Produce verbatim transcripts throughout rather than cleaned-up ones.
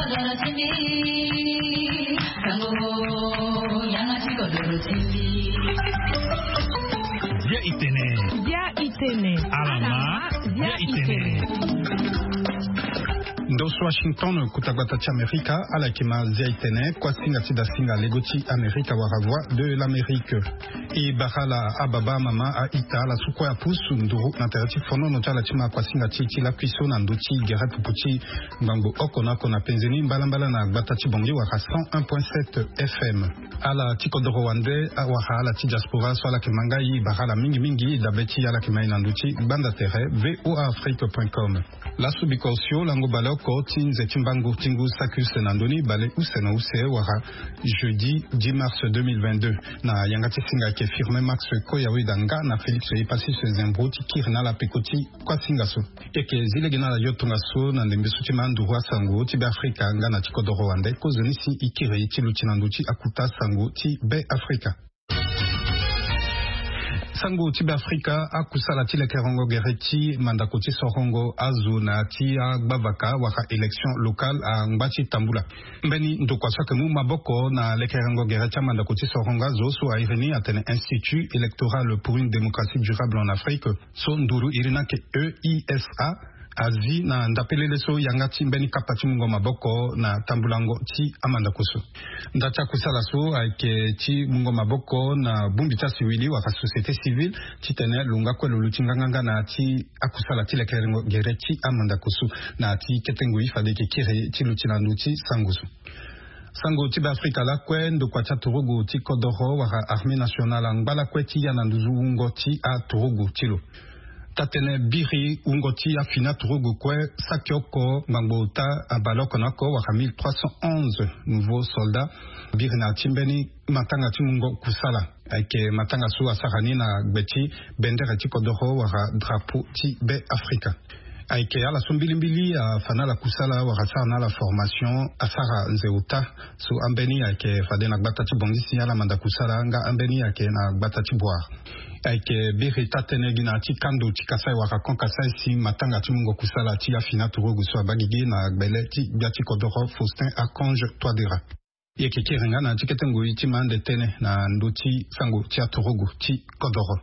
Bia itene. Bia itene. Alama. Bia itene. Ndo so Washington, kota gbata ti Amerika, ala yeke ma Zia itene, kuasinga ti dasinga lego ti Amerika wala Voix de l'Amérique. E bara ala ababa, amama, a-ita, ala so kue apusu nduru na tere ti fonono ti ala ti ma kuasinga ti e ti lakui so na ndö ti gere pupu ti ngbangbo oko na oko na penze ni mbalambala na gbata ti Bangui wala cent un point sept F M. Ala ti kodoro wande, a, wala ala ti diaspora so ala yeke ma nga e, e bara ala mingi mingi dabe ti ala yeke ma e na ndö ti gbanda tere V O A Afrique point com. Laso biko osio lango baleoko ti nze ti mbangu ti ngu saki use na ndö ni, bale use na use wala jeudi dix mars deux mille vingt-deux, na yanga ti singa ayeke Firmin Max Koyaweda nga na Félix Epassis Zembro ti kiri na ala peko ti kuasinga so. E yeke zi lege na ala yo tongaso na ndembe so ti ma nduru asango ti Beafrika nga na ti kodoro wande, kozoni si e kiri ti luti na ndö ti akuta sango ti Beafrika. Sango ti Beafrika, akusala ti lekerengo gere ti mandako ti sorongo azo na ya ti agbavaka wala élection locale angba ti tambula. Mbeni ndokua so ayeke mu maboko na lekerengo gere ti amandako ti sorongo azo so a iri ni atene Institut électoral pour une démocratie durable en Afrique, so nduru iri ni ayeke E I S A, azi na ndapelele so yanga ti mbeni kapa ti mungo maboko na tambulango ti amandako so. Nda ti akusala so ayeke ti mungo maboko na bongbi ti asiwili wala société civile, titene lo nga kue lo luti nganganga na ya ti akusala ti lekerengo gere ti amandako so, na ya ti kete ngoi fade e yeke kiri ti luti na ndö ti sango so. Sango ti Beafrika lakue, ndokua ti aturugu ti kodoro wala Armée nationale angba lakue ti ya na nduzu wungo ti aturugu ti lo. Taa-tënë biri wungo ti afini aturugu kue saki oko ngbangbo ota, abale oko na oko wala mille trois cent onze nouveaux soldats biri na ya ti mbeni matanga ti mungo kusala. Ayeke matanga so asara ni na gbe ti bendere ti kodoro wala drapeau ti Beafrika. Ayeke ala so mbilimbili afa na ala kusala wala asara na ala formation, asara nze ota. So ambeni ayeke fade na gbata ti Bangui si ala manda kusala, nga ambeni ayeke na gbata ti Bouar. Ayeke biri taa-tënë gi na ya ti kando ti Kasaï wala Grand Kasaï si matanga ti mungo kusala ti afini aturugu so abaa gigi na gbele ti gbia ti kodoro Faustin Archange Touadéra. E yeke kiri nga na ya ti kete ngoi ti ma ande tënë na ndö ti sango ti aturugu ti kodoro.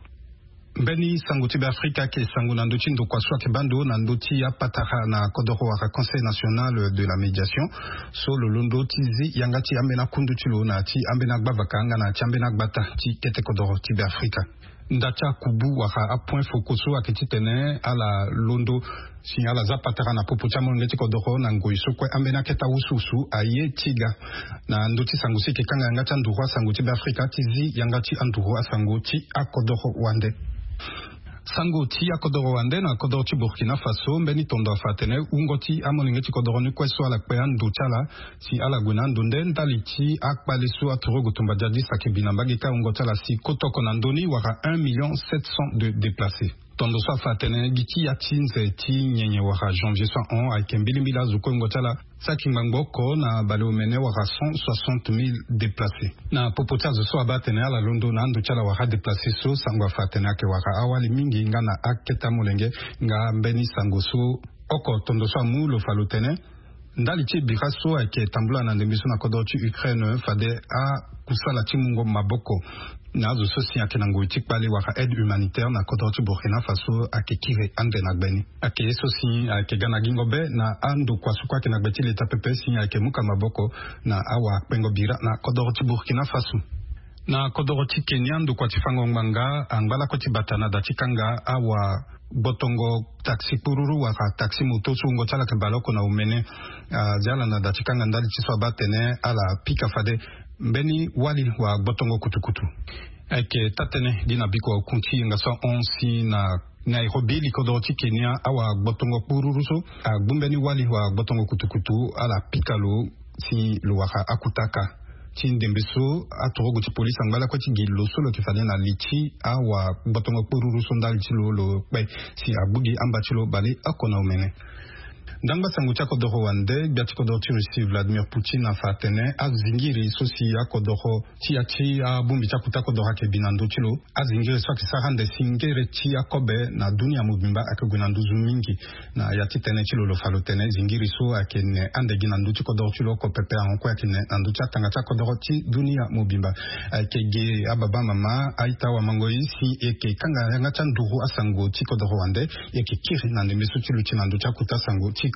Mbeni sango ti Beafrika ayeke sango na ndö ti ndokua so ayeke baa ndo na ndö ti apatara na kodoro wala Conseil national de la médiation, so lo londo ti zi yanga ti ambeni akundu ti lo na ya ti ambeni agbavaka nga na ya ti ambeni agbata ti kete kodoro ti Beafrika. Nda ti akubu wala apoint focaux so ayeke titene ala londo si ala za patara na popo ti amolenge ti kodoro na ngoi so kue ambeni akete awusuwusu aye ti ga. Na ndö ti sango so e yeke kanga yanga ti anduru asango ti Beafrika ti zi yanga ti anduru asango ti akodoro wande. Sango ti akodoro wande na kodoro ti Burkina Faso, mbeni tondo afa atene wungo ti amolenge ti kodoro ni kue so ala kpe ando ti ala si ala gue na ando nde ndali ti akpale so aturugu tumba djadis ayeke bi na mbage ti ahungo ti ala si kotoko na ndö ni wara un million sept cent de déplacés. Tondo so afa atene gi ti ya ti nze ti nyenye wara janvier so ahon ayeke mbilimbili azo kue hungo ti ala saki ngbangbo oko na baleomene wara cent soixante mille déplacés. Na popo ti azo so abaa atene ala londo na ando ti ala wara adéplacés so, sango afa atene ayeke wara awali mingi nga na akete amolenge. Nga mbeni sango so oko tondo so amu lo fa lo tene ndali ti bira so ayeke tambula na ndembe so na kodro ti Ukraine fade akusala ti mungo maboko na azo so si ayeke na ngoi ti kpale wala aide humanitaire na kodro ti Burkina Faso ayeke kiri ande na gbe ni. Ayeke ye so si ayeke ga na gingo be na andokua so kue ayeke na gbe ti leta pepe si ayeke muka maboko na awakpengo bira na kodro ti Burkina Faso. Na kodro ti Kenya, ndokua ti fango ngbanga angba lakue ti bata na da ti kanga awa gbotongo taxi kpururu wala taxi moto so wungo ti ala yeke baleoko na omene. Azi ala na da ti kanga ndali ti so abaa atene ala pika fade mbeni wali wala gbotongo kutukutu. Ayeke taa-tënë gi na biko akun ti yenga so ahon si na Nairobi, likodro ti Kenya, awa gbotongo kpururu so agbu mbeni wali wala gbotongo kutukutu, ala pika lo si lo wara akutaka ti ndembe so aturugu ti polisi angba lakue ti gi lo so lo yeke fade na li ti awa gbotongo kpururu so ndali ti lo lo kpe si agbu gi amba ti lo baleoko na omene. Ndangba sango ti akodoro wande, gbia ti kodoro ti Russie Vladimir Poutine afa atene azingiri so si akodoro ti ya ti abongbi ti akuta kodoro ayeke bi na ndö ti lo. Azingiri so ayeke sara ande si ngere ti akobe na dunia mobimba ayeke gue na nduzu mingi. Na ya ti tënë ti lo, lo fa lo tene zingiri so ayeke ne ande gi na ndö ti kodoro ti lo oko pepe, ahon kue ayeke ne na ndö ti atanga ti akodoro ti dunia mobimba. Ayeke gi ababa, mama, a-ita, awamangoi, si e yeke kanga yanga ti anduru asango ti kodoro wande, e yeke kiri na ndembe so ti lo ti na ndö ti akuta sango ti kodoro.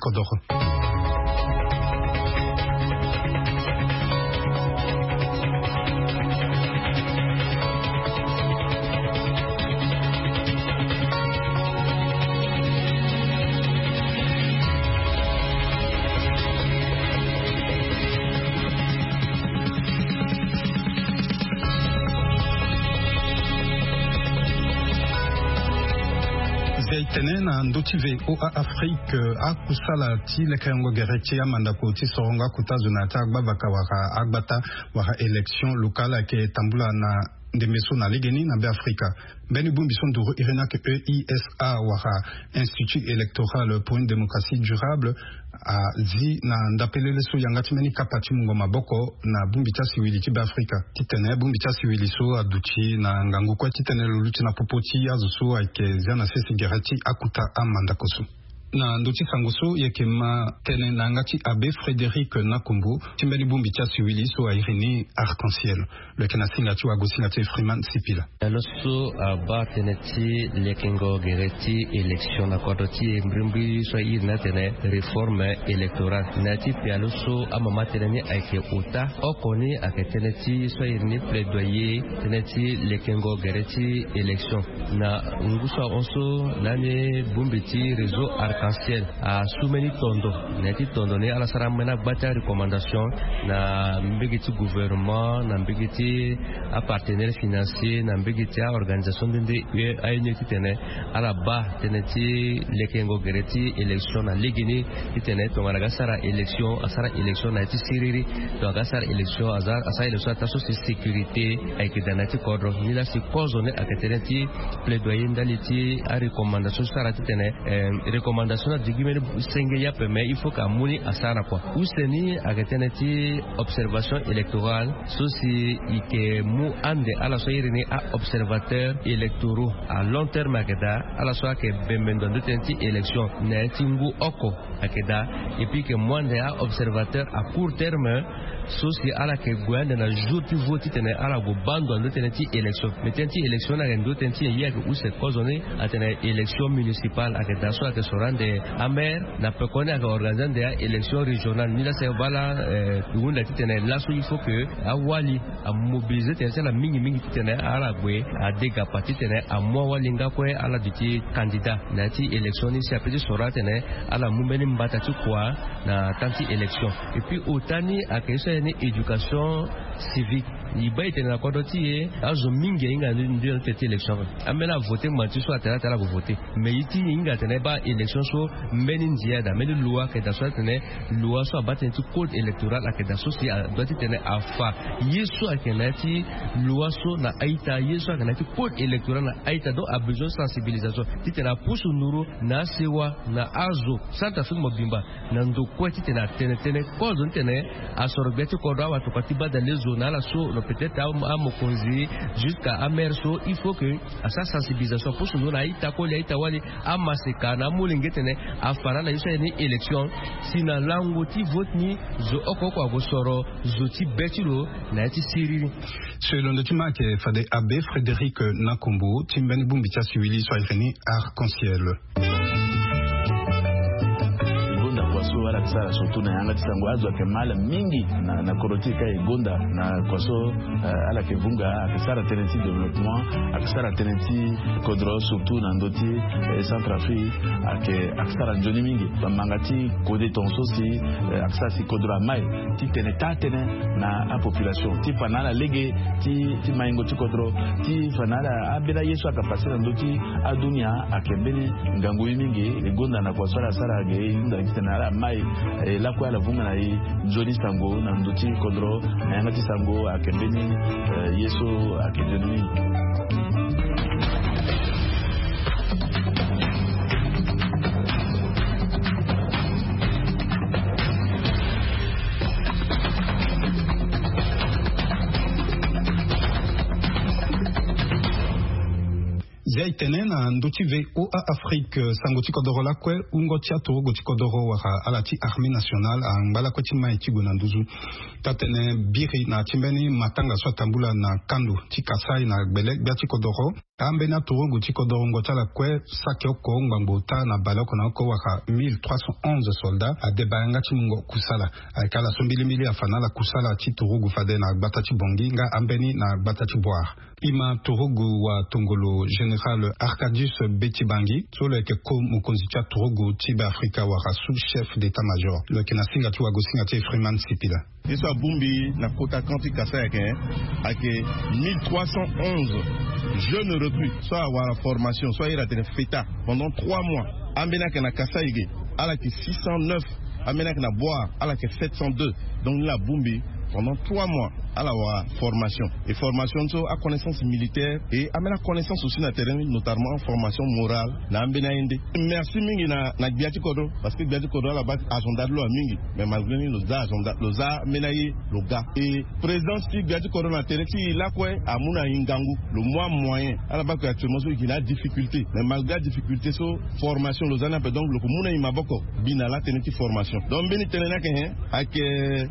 Zia e tene na ndö ti V O A Afrique, akusala ti lekerengo gere ti amandako ti sorongo akuta zo na ya ti agbavaka wala agbata wala élection locale ayeke tambula na ndembe so na legeni na Beafrika. Mbeni bongbi so nduru iri ni ayeke E I S A wala Institut électoral pour une démocratie durable azi na ndapelele so yanga ti mbeni kapa ti mungo maboko na bongbi ti asiwili ti Beafrika. Titene bongbi ti asiwili so aduti na ngangu kue titene lo luti na popo ti azo so ayeke zia na sese gere ti akuta amandako so. Na ndö ti sango so, e yeke ma tënë na yanga ti Abbé Frédéric Nakombo ti mbeni bongbi ti asiwili so a iri ni Arc-en-Ciel. Lo yeke na singa ti wagosinga ti Freeman Sipila. Lo so abaa tënë ti lekengo gere ti élection na kodro ti e, mbrimbri so a iri ni atene réforme électorale. Na ya ti pialo so amama tënë ni ayeke ota oko ni ayeke tënë ti so a iri ni plaidoyer, tënë ti lekengo gere ti élection. Na ngu so ahon so, lani bongbi ti réseau Arc-en-Ciel asu mbeni tondo. Na ya ti tondo ni, ala sara ambeni agba ti arecommandation na mbege ti gouvernement, na mbege ti apartenaire financier, na mbege ti aorganisation nde nde aye ni titene ala baa tënë ti lekengo gere ti élection na legeni, titene tongana aga sara élection, asara élection na ya ti siriri. Tongana aga sara élection, aza asara élection na taa so si sécurité ayeke daa na ya ti kodro. Nilaa si kozo ni ayeke tënë ti plaidoyer ndali ti arecommandation so asara titene, eh, recommandation ni aduti gi mbeni senge yape, mais il faut que amu ni asara kua. Use ni ayeke tënë ti observation électorale so si e yeke mu ande ala so a iri ni a-observateur électoraux à long terme ayeke daa, ala so ayeke bembe ndo na ndö tënë ti élection na ya ti ngu oko ayeke daa. Et puis e yeke mu ande a-observateur à court terme so si ala yeke gue ande na jour ti vote titene ala gue baa ndo na ndö tënë ti élection. Mais tënë ti élection ni ayeke ndö tënë ti e, ye ayeke use kozo ni atene élection municipale ayeke daa so ayeke soro ande amaire. Na pekoni ayeke organiser ande a-élection régionale. Nilaa si e baa laa, eh, e hunda titene laso il faut que awali amobiliser tënë ti ala mingi mingi titene ala gue adegapa titene amu awalinga kue ala duti candidat na ya ti élection ni si ape ti soro atene ala mu mbeni mbata ti kua na temps ti élection. Et puis ota ni ayeke ye so a iri ni éducation civique. E baa e tene na kodro ti e azo mingi ahinga ndio na ndö ti élection. Ambeni avote ngba ti so atene atene ala gue vote. Mais ye ti e hinga atene e baa élection so mbeni ndia daa, mbeni loi ayeke daa so atene loi so abaa tënë ti code électoral ayeke daa so si adoit titene afa ye so ayeke na ya ti loi so na a-ita, ye so ayeke na ya ti code électoral na a-ita. Donc abesoin sensibilisation titene apusu nduru na asewa na azo Centrafrique mobimba na ndo kue titene atene tënë kozo ni titene asoro gbia ti kodro, awatokua ti badalezo na ala so, peut-être amokonzi jusqu'à amaire so, il faut que asara sensibilisation apusu nduru na a-ita koli, a-ita wali, amaseka na amolenge titene afa na ala ye so a iri ni élection. Si na lango ti vote ni zo oko oko ague soro zo ti be ti lo na ya ti siriri. So e londo ti ma ayeke fade Abbé Frédéric Nakombo ti mbeni bongbi ti asiwili so a iri ni Arc-en-Ciel. E gonda kua so ala yeke sara surtout na yanga ti sango, azo ayeke ma ala mingi na, na kodro ti e ka e gonda na kua so, eh, ala yeke vunga, ayeke sara tënë ti développement, ayeke sara tënë ti kodro surtout na ndö ti, eh, Centrafrique, ayeke, ayeke sara nzoni mingi. Bamanga ti kode tongaso si, eh, ayeke sara si kodro amai titene taa tënë na apopulation ti fa na ala lege ti, ti maingo ti kodro, ti fa na ala ambeni aye so ayeke pase na ndö ti adunia ayeke mbeni ngangu ye mingi. E gonda na kua so ala sara ge, e hunda titene ala mai, eh, lakue ala vunga na e nzoni sango na ndö ti kodro, na yanga ti sango ayeke mbeni, eh, ye so ayeke nzoni mingi. Ya e tene na ndö ti ve oa afrique sango ti kodoro lakue wungo ti aturugu ti kodoro wala ala ti armée nationale angba lakue ti mai ti gue na nduzu. Taa-tene biri na ya ti mbeni matanga so atambula na kando ti kasai na gbele gbia ti kodoro. Ambeni aturugu ti kodoro ngo ti ala kue saki oko ngbangbo taa na baleoko na oko wala mille trois cent onze soldats adeba yanga ti mungo kusala. Ayeke ala so mbilimbili afa na ala kusala ti turugu fade na gbata ti bongi nga ambeni na gbata ti boire. Ima turugu wa tongolo général arcadius beti bangi so lo yeke ko mokonzi ti aturugu ti be afrika wala sous chef d'état-major lo yeke na singa ti wago singa ti efriman sipila. Ye so abongbi na kota kan ti kasa ayeke ayeke mille trois cent onze jeunes recrues so awara formation so aye atene feta pendant trois mois. Ambeni ayeke na kasa ege ala yeke six cent neuf. Ambeni ayeke na boire ala yeke sept cent deux. Donc ni la abongbi pendant trois mois ala wara formation. Et formation so aconnaissance militaire et ambeni aconnaissance aussi na terrain notamment formation morale na ambeni aye nde. Merci mingi na gbia ti kodro parce que gbia ti kodro ala baa agenda ti lo ya mingi. Mais malgré ni lo za agenda lo za ambeni aye lo ga. Et présidence ti gbia ti kodro na tere ti e lakue amu na e ngangu. Lo mu amoyen ala baa ke actuellement so e gi na adifficulté mais malgré adifficulté so formation lo za ni ape donc lo ke mu na e maboko bi na la tene ti formation. Donc mbeni tene ni ayeke nyen? Ayeke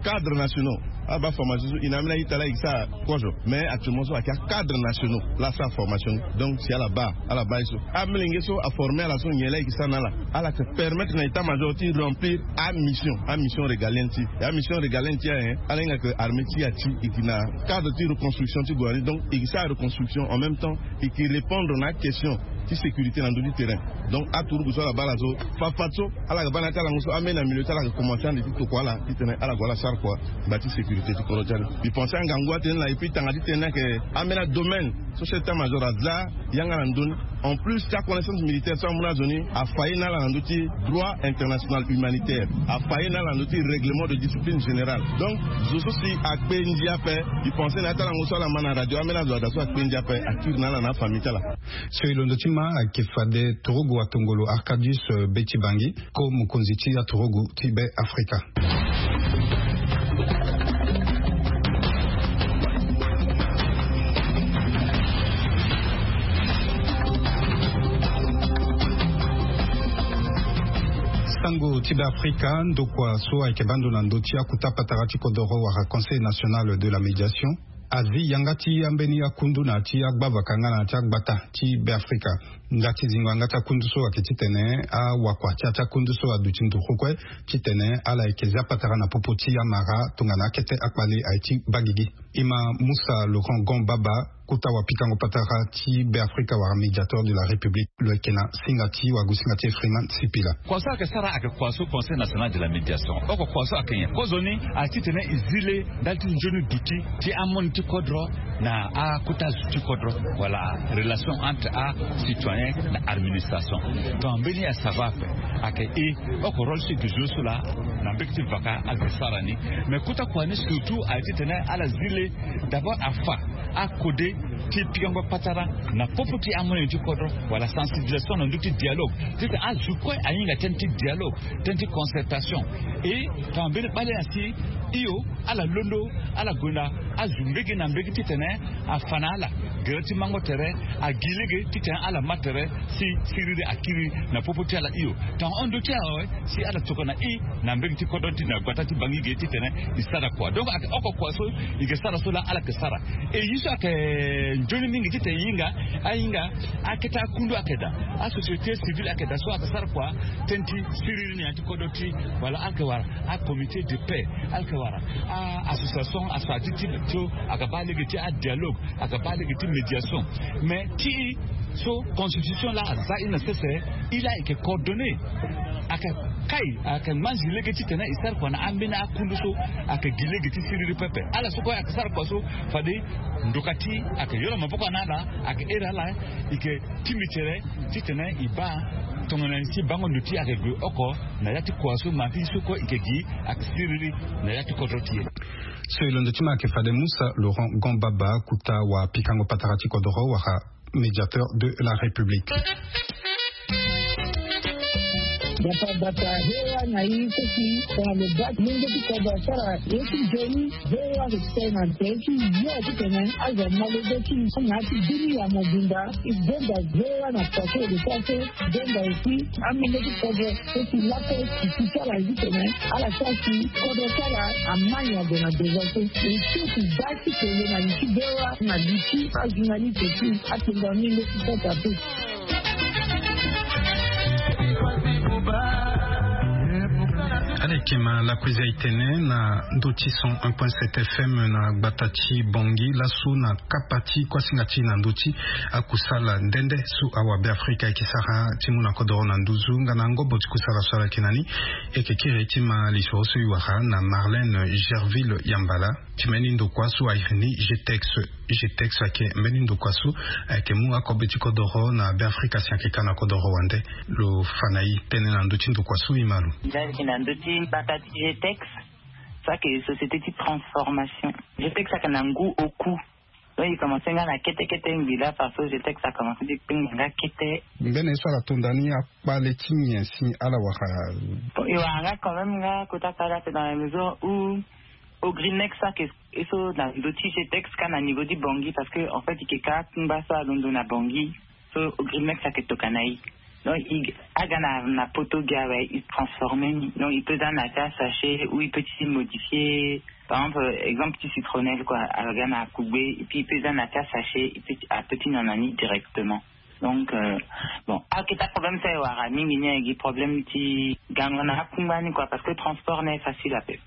acadres nationaux. Abaa formation so e na ambeni aye ti ala e gi sara kozo. Mais actuellement so ayeke acadres nationaux la asara formation ni. Donc si ala baa ala baa ye so amilenge so aforme ala so nyen la e gi sara na ala? Ala yeke permettre na état-major ti remplir amission amission régalienne ti e. Amission régalienne ti e ayen ala hinga ke armée ti e ati e gi na cadre ti reconstruction ti gue na ni donc e gi sara reconstruction en même temps e ke répondre na aquestion ti sécurité na ndö ti terrain. Donc aturugu so ala baa ala so fafat so ala yeke baa na ya ti alango so ambeni na milieu ti ala yeke commencer ande ti tokua ala titene ala gue ala sara kua. Ngba ti sécurité ti kodro ti ala mbi pense angangu atene na epui tanga titene ni ayeke ambeni adomaine so chef d'état-major aza yanga na ndö ni. En plus ti aconnaissance militaire so amu na azo ni afa ye na ala na ndö ti droit international humanitaire. Afa ye na ala na ndö ti règlement de discipline générale. Donc zo so si akpe ndia ape. Mbi pense na ya ti alango so ala ma na radio ambeni azo ada so akpe ndia ape akiri na ala na afamille ti ala. So e londo ti ma ayeke fade turugu atongolo arcadius beti bangi ko mokonzi ti aturugu ti be afrika. Sango ti be afrika ndokua so ayeke baa ndo na ndö ti akuta patara ti kodoro wala conseil national de la médiation azi yanga ti ambeni akundu na ya ti agbavaka nga na ya ti agbata ti be afrika. Nga ti zingo yanga ti akundu so ayeke titene awakua ti ya ti akundu so aduti nduru kue titene ala yeke zia patara na popo ti amara tongana akete akpale aye ti baa gigi. Ima musa laurent gon baba kota wapikango patara ti be afrika wala médiateur de la république lo yeke na singa ti wago singa ti efriman sipila. Kua so ayeke sara ayeke kua so conseil national de la médiation oko kua so ayeke nyen kozoni aye titene e zi le ndali ti nzoni duti ti amoni ti kodro na akota zo ti kodro wala relation entre acitoyen na administration. Donc mbeni asava ape ayeke e oko rôle ti e ke zo so laa na mbege ti vaka ala ke sara ni. Mais kota kua ni surtout aye titene ala zi le d'abord afa akode ti pikango patara na popo ti amoyen ti kodro wala sensibilisation na ndö ti dialogue titene azo kue ahinga tënë ti dialogue tënë ti concertation. E tongana mbeni kpale na si hio ala londo ala gue na azo mbege na mbege titene afa na ala gere ti mango tere agi lege titene ala ma tere si siriri akiri na popo ti ala hio. Tongana hon ndö ti ala awe si ala tokana e na mbege ti kodro ti na gbata ti bangi ge titene e sara kua donc ayeke oko kua so e ke sara so laa ala yeke sara. E ye so ayeke nzoni mingi titene e hinga ahinga akete akundu ayeke daa asociété civile ayeke daa so ayeke sara kua tënë ti siriri na ya ti kodro ti wala ala yeke wara acomité de paix ala yeke wara association aso adi ti so ayeke baa lege ti adialogue ayeke baa lege ti médiation. Mais ti e so constitution laa aza e na sese e laa e yeke coordonné ayeke kai ayeke manzi lege titene e sara kua na ambeni akundu so ayeke gi lege ti siriri pepe ala so kue ayeke sara kua so fade ndoka ti e ayeke yoro maboko na ala ayeke here ala e yeke timi tere titene e baa tongana ni ti bango ndo ti e ayeke gue oko na ya ti kua so ma ti so kue e yeke gi ayeke siriri na ya ti kodro ti e. So e londo ti ma ayeke fade musa laurent gon baba kota wapikango patara ti kodoro wala médiateur de la république. Gbata gbata voa na i so si tongana lo baa ti lenge ti kodro asara ye ti nzoni. Voa lo tene na tere ti yo titene azo amolenge ti na ya ti bini ya mobimba. I bonda voa na paso de paso. Bonda aussi amolenge ti kodro so si laso si ti sara titene ala sara si kodro ti ala amai ague na devant so. E so si baa ti kele na li ti voa na li ti ajournaliste ti atonga mingi ti kota pe. Alekema lakuiza itene na ndö ti cent un point sept F M na gbata ti Bangui laso na kapa ti kuasinga ti na ndö ti akusala nde nde so awabe Afrika eke sara ti mu na kodoro na nduzu nga na ngobo ti kusala so ala yeke na ni. Eke kiri ti ma lisoro so e wara na Marlène Gerville Yambala. Ti mbeni ndokua so a iri ni G T X. G T X ayeke mbeni ndokua so ayeke mu akobe ti kodoro na Beafrika si ayeke ka na kodoro wande. Lo fa na e tënë na ndö ti ndokua so e ma lo. Nzaki na ndö ti mbata ti G T X. So ayeke société ti transformation. G T X ayeke na ngu oku. Donc e commencé nga na kete kete ngbi la parce que G T X a commencé ti kpengba nga kete. Mbeni ye so ala tonda ni akpale ti nyen si ala wara? Bon, e wara nga quand même nga kota kpale ape dans la mesure où Ogrimex ayeke e so na ndo ti G T X ka na niveau ti Bangui parce que en fait e yeke ka akungba so alondo na Bangui. So Ogrimex ayeke tokua na e. Donc e aga na na poto gi awe e transformer ni. Donc e peut za na ya ti asachet ou e peut ti modifier. Par exemple, exemple ti citronnelle quoi, aga na akugbe et puis e peut za na ya ti asachet, e peut ti- a peut ti nyon na ni directement. Donc euh, bon, aketa problème so e wara mingi ni ayeke gi problème ti gango na akungba ni quoi parce que transport ni aye facile ape.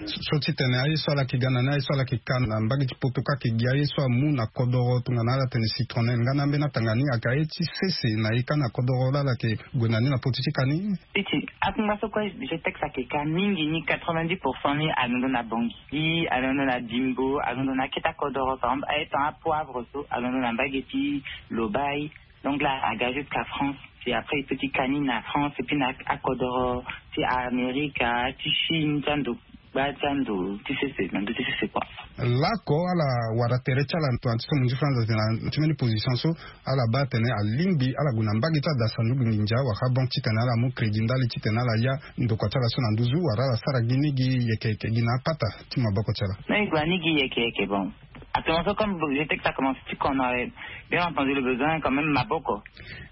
So titene aye so ala yeke ga na ni, aye so ala yeke ka na mbage ti poto ka ayeke gi aye so amu na kodoro tongana ala tene citronnelle nga na ambeni atanga ni ayeke aye ti sese na e ka na kodoro laa ala yeke gue na ni na poto ti ka ni? Piti akungba so kue G T X ayeke ka mingi ni quatre-vingt-dix pour cent ni alondo na Bangui, alondo na Bimbo, alondo na aketa kodoro par exemple aye tongana apoivre so alondo na mbage ti Lobaye. Donc là aga jusqu'à France. Puis après e peut ti ka ni na France et puis na akodoro ti Amerika ti Chine ti ando gba ti ando ti sese na ndo ti sese quoi. Lako ala wara tere ti ala tongana ti so mo ndi franza tene na ti mbeni position so ala baa atene alingbi ala gue na mbage ti ada sanduku nginza wala banque titene ala mu crédit ndali titene ala ya ndokua ti ala so na nduzu wala ala sara gi ni gi yeke yeke gi na apata ti maboko ti ala. Non e gue na ni gi yeke yeke bon. Actuellement so comme G T X a commencé ti kono awe, bien entendu le besoin quand même maboko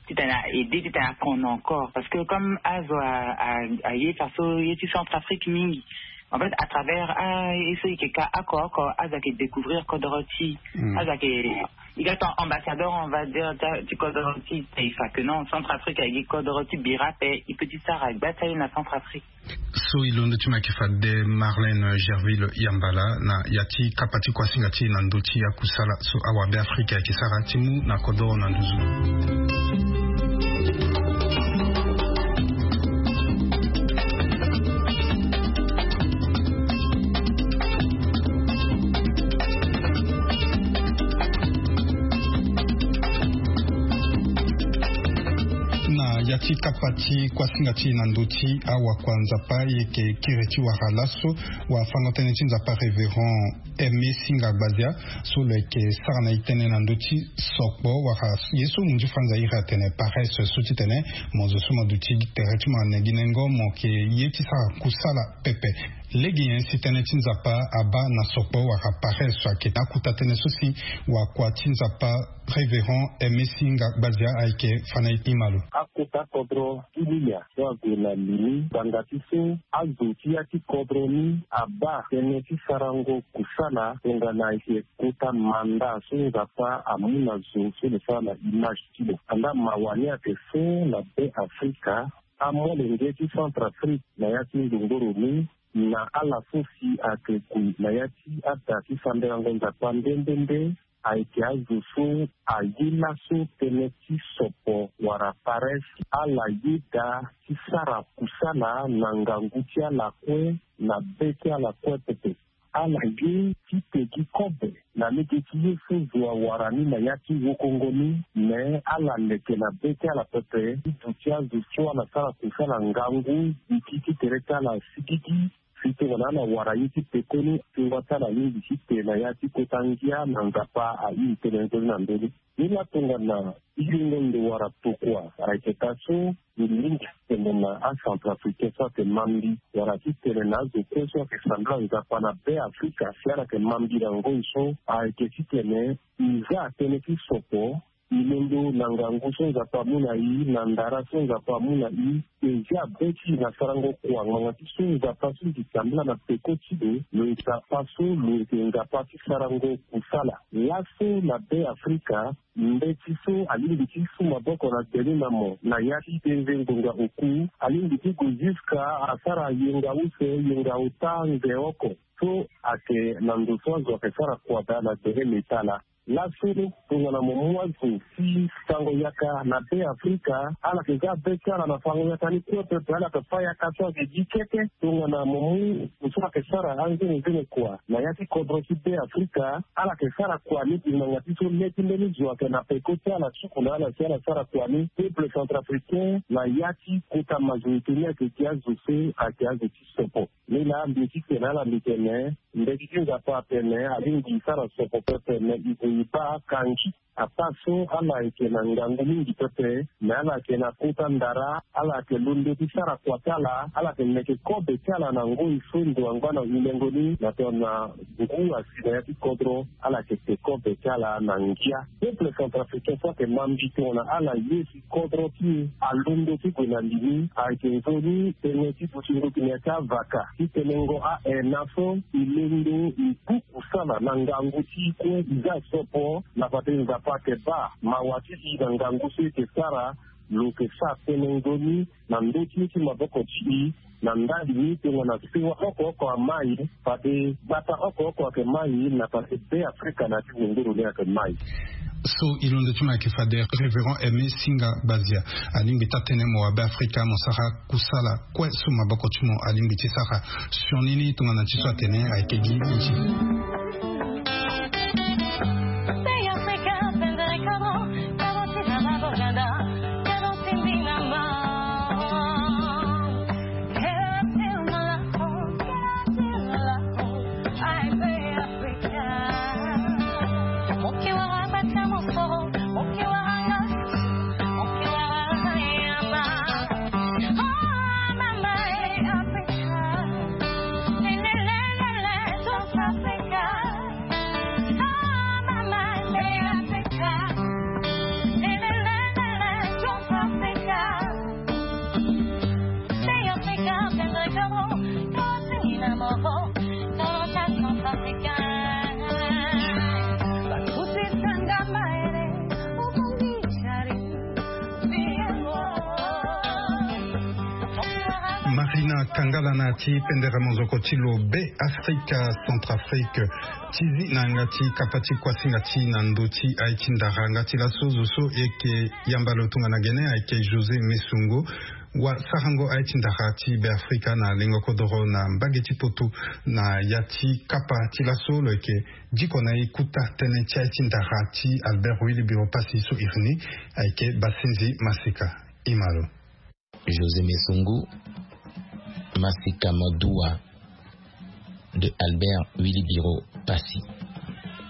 titene a aidé titene a kono encore parce que comme azo a- a- aye faso ye ti Centrafrique mingi. En fait à travers ah e so e yeke ka oko oko azo ayeke découvrir kodoro ti e. Azo ayeke e ga ton ambassadeur on va dire ti- ti kodoro ti taifa que non Centrafrique ayeke gi kodoro ti bira ape. E peut ti sara gba ti aye na Centrafrique. So e londo ti mo ayeke fade Marlène Gerville Yambala na ya ti kapa ti kuasinga ti e na ndö ti akusala so awabe Afrika ayeke sara ti mu na kodoro na nduzu. Na ya ti kapa ti kuasinga ti e na ndö ti awakua Nzapa e yeke kiri ti wara laso wafango-tënë ti Nzapa Révérend Aimé Singa Gbazia so lo yeke sara na e tënë na ndö ti sokpo wala ye so mo nzi franza iri atene paresse so titene mo zo so mo duti tere ti mo na nenginengo mo yeke ye ti sara kusala pepe. Lege nyen si tënë ti Nzapa abaa na sokpo wala paresse so ayeke na akota tënë so si wakua ti Nzapa Révérend Aimé Singa Gbazia ayeke fa na e ti ma lo. Akota kodro ti Lilia so ague na li ni ngbanga ti so azo ti ya ti kodro ni abaa tënë ti sarango kusala tongana ayeke kota manda so Nzapa amu na zo so lo sara na image ti lo. Andaa mawa ni ayeke so na Be Afrika, amolenge ti Centrafrique na ya ti ndongoro ni na ala so si ayeke gue na ya ti ada ti sambelango Nzapa nde nde nde ayeke azo so aye laso tënë ti sopo wala paresse. Ala yeda ti sara kusala na ngangu ti ala kue na be ti ala kue pepe. Ala ye ti pegi kobe na lege ti ye so zo awara ni na ya ti wokongo ni. Me ala leke na be ti ala pepe ti duti azo so ala sara kusala ngangu gigi ti tere ti ala sigigi. Mbi tongana ala wara ye ti pekoni, tonga ti ala alingbi ti te na ya ti kota ngia na Nzapa airi tënë nzoni na ndö ni. Ni laa tongana iringo ndo wara tokua ayeke taa so, mbi lingbi ti tene na acentrafricain so ayeke ma mbi wala ti tene na azo kue so ayeke sambela Nzapa na Be Afrika si ala yeke ma mbi na ngoi so ayeke ti tene i za tënë ti sopo. I londo na ngangu so Nzapa amu na i, na ndara so Nzapa amu na i, e zia be ti i na sarango kua ngbanga ti so Nzapa so i yeke sambela na peko ti lo, lo yeke Nzapa so lo yeke Nzapa ti sarango kusala. Laso na Be Afrika, mbeti so alingbi ti su maboko na gbeni na mo na ya ti denze ngonga oku, alingbi ti gue jusqu'à asara yenga use, yenga ota, nze oko. So ayeke na ndo so azo ayeke sara kua daa na gbele metala. Laso tongana mo mu azo ti fango yaka na Be Afrika, ala yeke za be ti ala na fango yaka ni kue pepe, ala yeke fâ yaka so ayeke gi keke. Tongana mo mu ndo so ayeke sara anzenezene kua na ya ti kodro ti Be Afrika, ala yeke sara kua ni gi ngbanga ti so le ti mbeni zo ayeke na peko ti ala, suku na ala si ala sara kua ni. Peuple centrafricain na ya ti kota majorité ni ayeke gi azo so ayeke azo ti sopo. Ni laa mbi ye ti tene na ala, mbi tene mbeti ti Nzapa atene alingbi e sara sopo pepe, me e gue e baa kangi. Ataa so ala yeke na ngangu mingi pepe, me ala yeke na kota ndara, ala yeke londo ti sara kua ti ala, ala yeke meke kobe ti ala na ngoi so ndo angba na hulengo ni na tongana ngu asi na ya ti kodro, ala yeke te kobe ti ala na ngia. Peuple centrafricain so ayeke ma mbi tongana ala ye si kodro ti e alondo ti gue na li ni, ayeke nzoni tënë ti dutingo gi na ya ti avaka ti tenengo a-ena so e londo e du kusala na ngangu ti e kue, e za sopo na fade Nzapa ayeke baa mawa ti e na ngangu so e yeke sara. Lo yeke sara tënë nzoni na ndö ti ye ti maboko ti e na ndali ni tongana sewa oko oko amai, fade gbata oko oko ayeke mai na fade Be Afrika na ya ti zongoro ni ayeke mai. So e londo ti mo ayeke fade Révérend Aimé Singa Bazia. Alingbi taa tënë mo wa Be Afrika mo sara kusala kue so maboko ti mo alingbi ti sara. Sioni ni tongana ti so atene ayeke gi nzi. Marina Kangala na ya ti pendere mozoko ti lo Be Afrika Centrafrique. Ti zi na yanga ti kapa ti kuasinga ti na ndö ti aye ti ndara nga ti laso zo so e yeke yamba lo tongana gene ayeke José Messungu. Wa sarango aye ti ndara ti Be Afrika na lengo kodoro na mbage ti poto na ya ti kapa ti laso lo yeke diko na e kota tënë ti aye ti ndara ti Albert Willy Biro Passy so iri ni ayeke Basinzi Masika. Ima lo. José Messungu, Masika Madua de Albert Willy Biro Passy.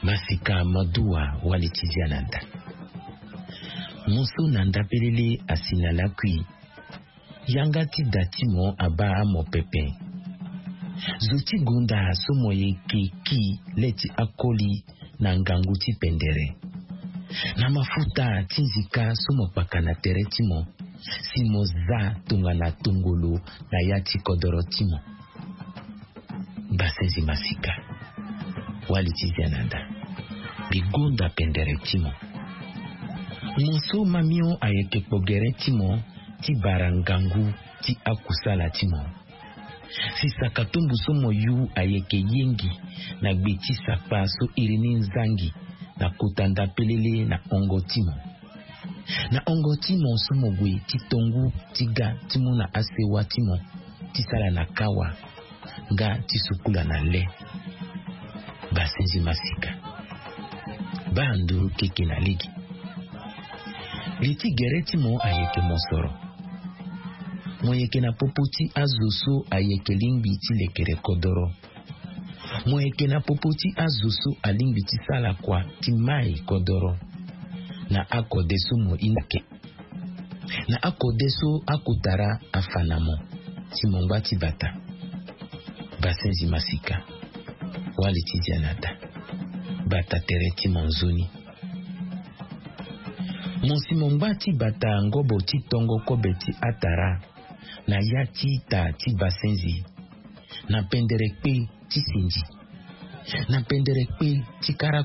Masika Madua, wali ti zia na nda. Mo so na nda pelele asi na lakui. Yanga ti da ti mo abaa mo pepe. Zo ti gonda so mo yeke ki le ti akoli na ngangu ti pendere. Na mafuta ti nzika so mo kpaka na tere ti mo, si mo za tongana tongolo na ya ti kodoro ti mo. Basinzi Masika, wali ti zia na nda. Mbi gonda pendere ti mo. Mo so mamio ayeke kpo gere ti mo ti bara ngangu ti akusala ti mo. Si saka tumbu so mo yu ayeke yengi na gbe ti sakpa so iri ni nzangi na kota nda pelele na hongo ti mo. Na hongo ti mo so mo gue ti tongu ti ga ti mu na asewa ti mo ti sala na kawa nga ti sukula na le. Basinzi Masika, baa nduru keke na lege. Li ti gere ti mo ayeke mosoro. Mo yeke na popo ti azo so ayeke lingbi ti lekere kodoro. Mo yeke na popo ti azo so alingbi ti sara kua ti mai kodoro. Na akode so mo hinga ke, na akode so akotara afa na mo, si mo ngba ti bata. Basenzi masika. Wali ti dia na da. Bata tere ti mo nzoni. Mo si mo ngba ti bata ngobo ti tongo kobe ti atara, na ya ti ita ti basenzi, na pendere kpe ti sinzi, na pendere kpe ti kara,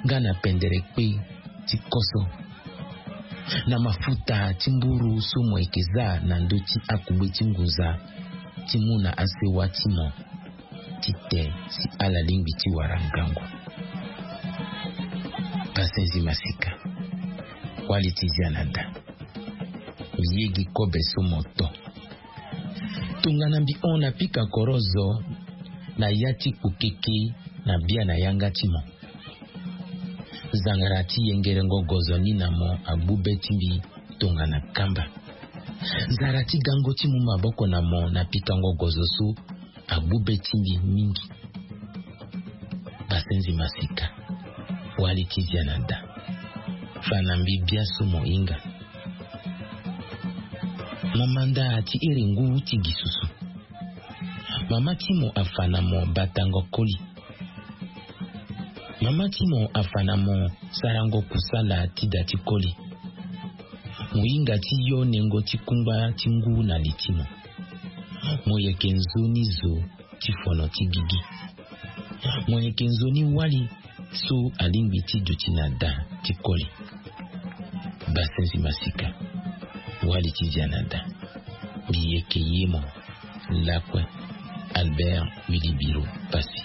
nga na pendere kpe ti koso, na mafuta ti mburu so mo yeke za na ndö ti akugbe ti ngunza, ti mu na asewa ti mo, ti te si ala lingbi ti wara ngangu. Basenzi masika. Wali ti dia na da. Mbi yegi kobe so mo to. Tongana mbi hon na pika korozo, na ya ti kpokeke na bia na yanga ti mo. Zangara ti yengerengo gozo ni na mo agbu be ti mbi tongana kamba. Zara ti gango ti mu maboko na mo na pikango gozo so agbu be ti mbi mingi. Basenzi masika. Wali ti dia na da. Fa na mbi bia so mo hinga. Mo manda ti iri ngu ti gi susu. Mama ti mo afa na mo batango koli. Mama ti mo afa na mo sarango kusala ti da ti koli. Mo hinga ti yo nengo ti kungba ti ngu na li ti mo. Mo yeke nzoni zo ti fono ti gigi. Mo yeke nzoni wali so alingbi ti duti na da ti koli. Basenzi masika. Wali ti dia na da. Mbi yeke ye mo. Lakue. Albert Wilibiro Passy.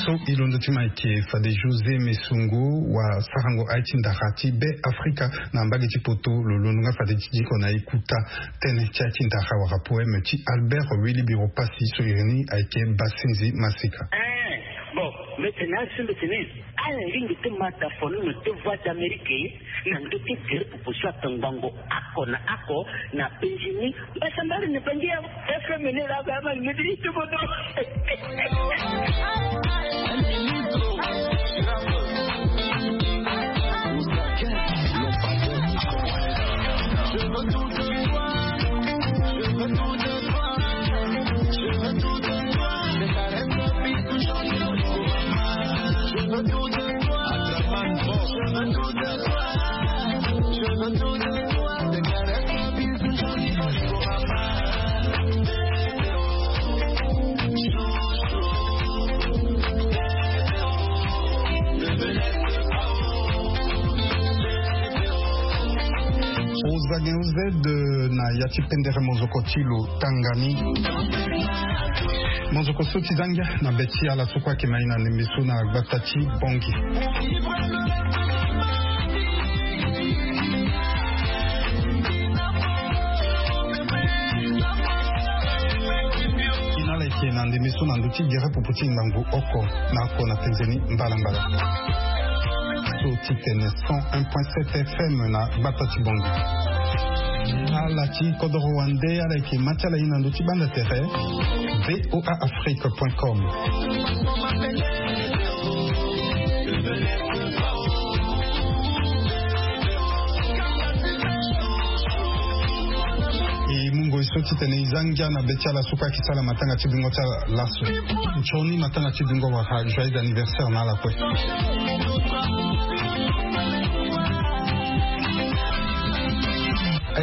So e londo ti ma eke fade José Messungu wa sarango aye ti ndara ti Be Afrika na mbage ti poto. Lo londo nga fade ti diko na e kuta tënë ti aye ti ndara wala poème ti Albert Wilibiro Passy so iri ni ayeke Basenzi masika. Eh, bon, mbeti na asu mbeti ni. Ala lingbi ti ma da fono na deux voix d'Amérique na ndö ti gere popo so atongbango oko na oko na penzi ni. Mbasambari na bangi ya F M ni la ba ma ni ti bodo. Ozage ozede na ya ti pendere mozoko ti lo tanga ni. Mozoko so ti zangia na be ti ala so kue ayeke ma e na ndembe so na gbata ti Bongi. Ina ala yeke na ndembe so na ndö ti gere popo ti ngangu oko na oko na penze ni mbalambala. So ti tene cent un point sept F M na gbata ti Bongi. Ala ti kodoro wande ala yeke ma ti ala ye na ndö ti banda tere. V O A Afrique point com. E mu ngoi so titene e za ngia na be ti ala so kue ayeke sara matanga ti dungo ti ala laso. Nzoni matanga ti dungo wala joyeux anniversaire na ala kue.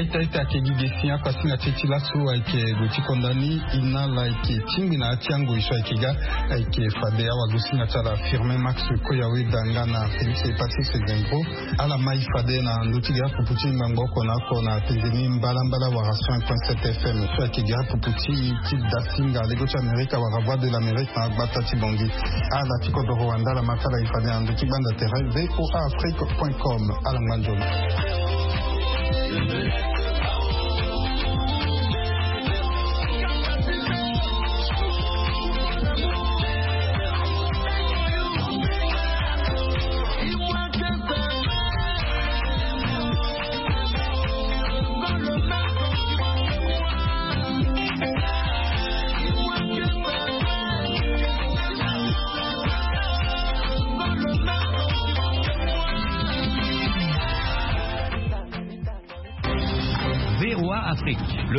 Ita ita ake gi ge si ako asinga ti e ti laso ayeke gue ti konda ni. Inala ayeke tingbi na ya ti angoi so ayeke ga. Ayeke fade awagosinga ti ala firme max koya weda nga na felix e patrice gengro. Ala mai fade na ndö ti ge apupu ti ngbangbo oko na oko na penze ni mbalambala wara cent point sept fm so ayeke ge apupu ti ti dasinga lego ti amerika wara voie de l'amérique na agbata ti bongi. Ala ti kodoro wanda ala ma ti ala e fade na ndö ti gbanda tere voa afrique point com. Ala ngba nzoni. Voa afrique.